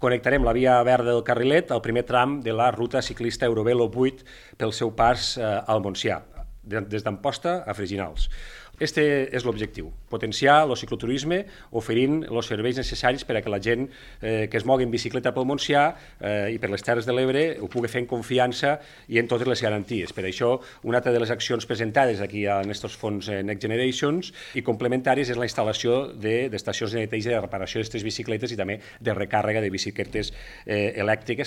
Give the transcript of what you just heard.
Connectarem la via verda del Carrilet al primer tram de la ruta ciclista Eurovelo 8 pel seu pas al Montsià, des d'Amposta a Freginals. Este és l'objectiu, potenciar el cicloturisme oferint els serveis necessaris per a que la gent que es mogui en bicicleta pel Montsià i per les Terres de l'Ebre ho pugui fer en confiança i en totes les garanties. Per això, una altra de les accions presentades aquí en aquests fons Next Generations i complementaris és la instal·lació d'estacions de neteja i de reparació d'aquestes bicicletes i també de recàrrega de bicicletes elèctriques